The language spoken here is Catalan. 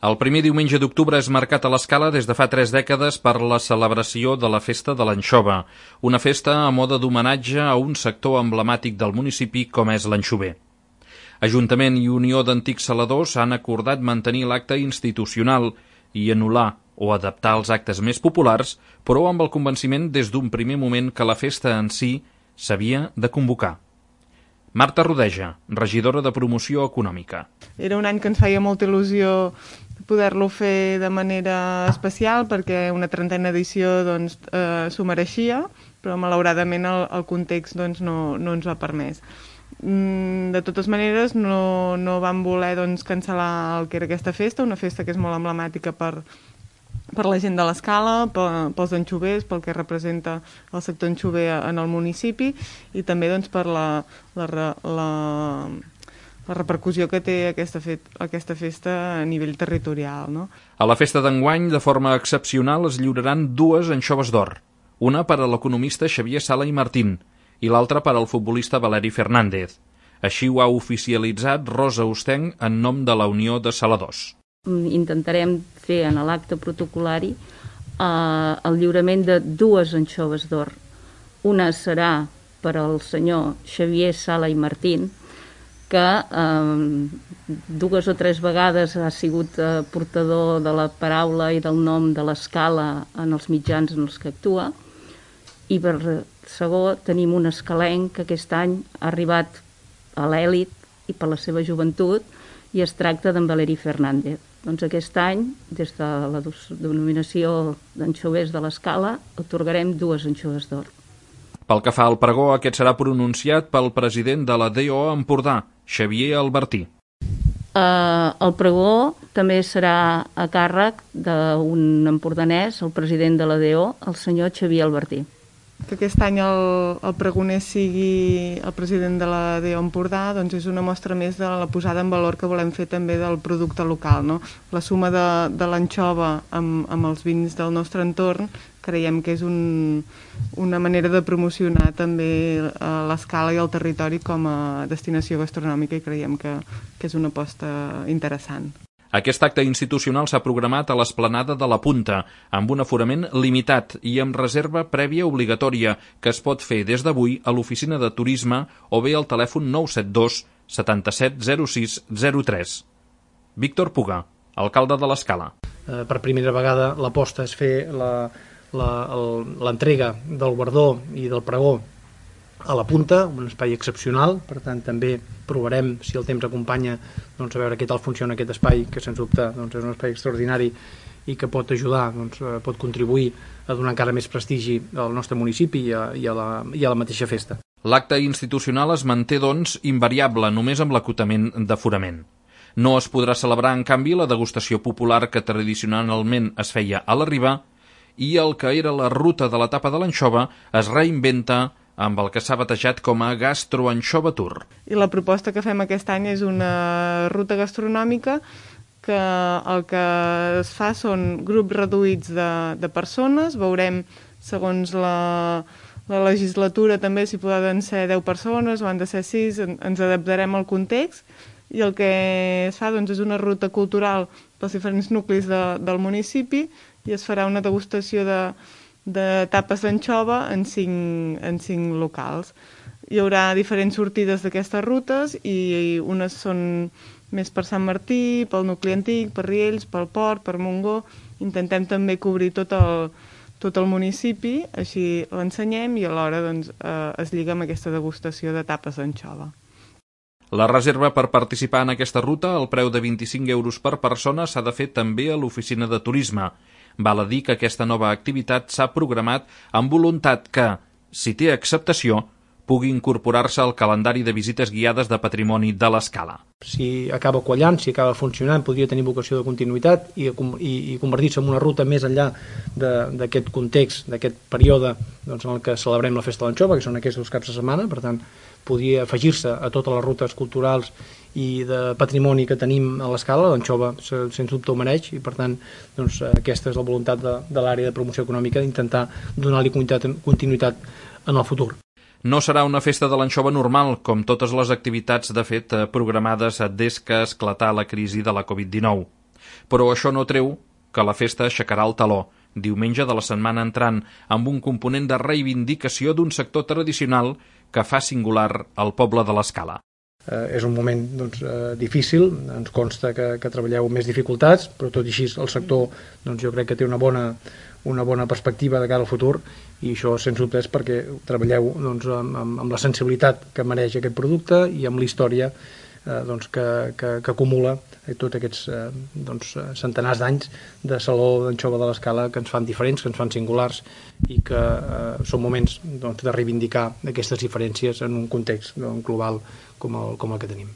El primer diumenge d'octubre és marcat a l'Escala des de fa 3 dècades per la celebració de la Festa de l'Anxova, una festa a mode d'homenatge a un sector emblemàtic del municipi com és l'anxover. Ajuntament i Unió d'Antics Saladors han acordat mantenir l'acte institucional i anul·lar o adaptar els actes més populars, però amb el convenciment des d'un primer moment que la festa en si s'havia de convocar. Marta Rodeja, regidora de Promoció Econòmica. Era un any que ens feia molta il·lusió poder-lo fer de manera especial perquè una 30a edició s'ho mereixia, però malauradament el context no ens ho ha permès. De totes maneres, no vam voler cancel·lar el que era aquesta festa, una festa que és molt emblemàtica per la gent de l'Escala, pels anxovers, pel que representa el sector anxover en el municipi i també per la repercussió que té aquesta festa a nivell territorial. No? A la festa d'enguany, de forma excepcional, es lliuraran 2 anxoves d'or, una per a l'economista Xavier Sala i Martín i l'altra per al futbolista Valeri Fernández. Així ho ha oficialitzat Rosa Ostenc en nom de la Unió de Saladors. Intentarem fer en l'acte protocolari el lliurament de 2 anxoves d'or. Una serà per al senyor Xavier Sala i Martín, que 2 o 3 vegades ha sigut portador de la paraula i del nom de l'Escala en els mitjans en els que actua, i per segon tenim un escalenc que aquest any ha arribat a l'èlit i per la seva joventut, i es tracta d'en Valeri Fernández. Doncs aquest any, des de la denominació d'anxovers de l'Escala, atorgarem 2 anxoves d'or. Pel que fa al pregó, aquest serà pronunciat pel president de la DO Empordà, Xavier Albertí. El pregó també serà a càrrec d'un empordanès, el president de la DO, el senyor Xavier Albertí. Que aquest any el pregoner sigui el president de la DO Empordà és una mostra més de la posada en valor que volem fer també del producte local. No? La suma de l'anxova amb els vins del nostre entorn creiem que és una manera de promocionar també l'Escala i el territori com a destinació gastronòmica i creiem que és una aposta interessant. Aquest acte institucional s'ha programat a l'esplanada de la Punta, amb un aforament limitat i amb reserva prèvia obligatòria, que es pot fer des d'avui a l'oficina de turisme o bé al telèfon 972 77 06 03. Víctor Puga, alcalde de l'Escala. Per primera vegada l'aposta és fer l'entrega del guardó i del pregó a la Punta, un espai excepcional, per tant també provarem, si el temps acompanya, a veure què tal funciona aquest espai, que sens dubte és un espai extraordinari i que pot ajudar, pot contribuir a donar encara més prestigi al nostre municipi i a la mateixa festa. L'acte institucional es manté, invariable, només amb l'acotament d'aforament. No es podrà celebrar, en canvi, la degustació popular que tradicionalment es feia a la Riba i el que era la ruta de l'etapa de l'anxova es reinventa amb el que s'ha batejat com a Gastroanxova Tour. I la proposta que fem aquest any és una ruta gastronòmica que el que es fa són grups reduïts de persones, veurem segons la legislatura també si poden ser 10 persones o han de ser 6, ens adaptarem al context i el que es fa és una ruta cultural pels diferents nuclis del municipi i es farà una degustació de tapes d'anxova en 5 locals. Hi haurà diferents sortides d'aquestes rutes i unes són més per Sant Martí, pel nucli antic, per Riells, pel Port, per Montgó. Intentem també cobrir tot el municipi, així l'ensenyem i alhora es lliga amb aquesta degustació de tapes d'anxova. La reserva per participar en aquesta ruta, al preu de 25 euros per persona, s'ha de fer també a l'oficina de turisme. Val a dir que aquesta nova activitat s'ha programat amb voluntat que, si té acceptació, pugui incorporar-se al calendari de visites guiades de patrimoni de l'Escala. Si acaba quallant, si acaba funcionant, podria tenir vocació de continuïtat i convertir-se en una ruta més enllà d'aquest context, d'aquest període en el que celebrem la Festa de l'Anxova, que són aquests 2 caps de setmana, per tant, podria afegir-se a totes les rutes culturals i de patrimoni que tenim a l'Escala. L'anxova sens dubte ho mereix i per tant aquesta és la voluntat de l'àrea de promoció econòmica d'intentar donar-li continuïtat en el futur. No serà una festa de l'anxova normal, com totes les activitats de fet programades des que esclatà la crisi de la Covid-19. Però això no treu que la festa aixecarà el taló diumenge de la setmana entrant, amb un component de reivindicació d'un sector tradicional que fa singular el poble de l'Escala. És un moment difícil, ens consta que treballeu amb més dificultats, però tot i així el sector jo crec que té una bona perspectiva de cara al futur, i això sens dubte és perquè treballeu amb la sensibilitat que mereix aquest producte i amb la història que acumula tots aquests centenars d'anys de Saló d'Anxova de l'Escala, que ens fan diferents, que ens fan singulars, i que són moments de reivindicar aquestes diferències en un context global com el que tenim.